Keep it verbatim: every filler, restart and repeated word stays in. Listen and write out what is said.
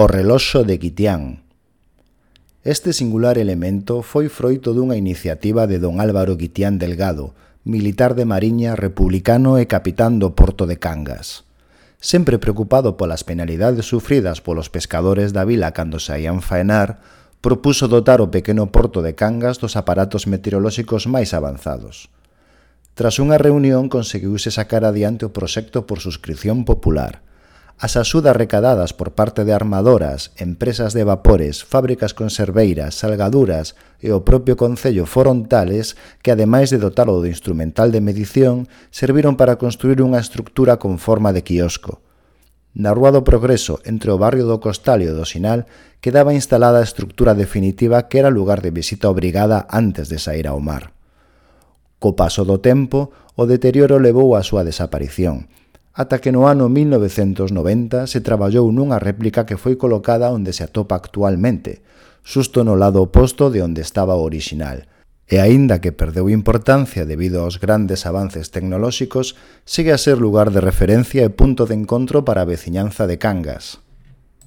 O reloxo de Guitián. Este singular elemento foi froito dunha iniciativa de don Álvaro Guitián Delgado, militar de Mariña, republicano e capitán do porto de Cangas. Sempre preocupado polas penalidades sufridas polos pescadores da vila cando saían faenar, propuso dotar o pequeno porto de Cangas dos aparatos meteorolóxicos máis avanzados. Tras unha reunión conseguiuse sacar adiante o proxecto por suscripción popular. As axudas recadadas por parte de armadoras, empresas de vapores, fábricas conserveiras, salgaduras e o propio Concello foron tales que, ademais de dotalo do instrumental de medición, serviron para construir unha estructura con forma de quiosco. Na Rúa do Progreso, entre o barrio do Costal e o do Sinal, quedaba instalada a estructura definitiva que era lugar de visita obrigada antes de sair ao mar. Co paso do tempo, o deterioro levou á súa desaparición, ata que no ano mil novecentos noventa se traballou nunha réplica que foi colocada onde se atopa actualmente, xusto no lado oposto de onde estaba o orixinal, e aínda que perdeu importancia debido aos grandes avances tecnolóxicos, segue a ser lugar de referencia e punto de encontro para a veciñanza de Cangas.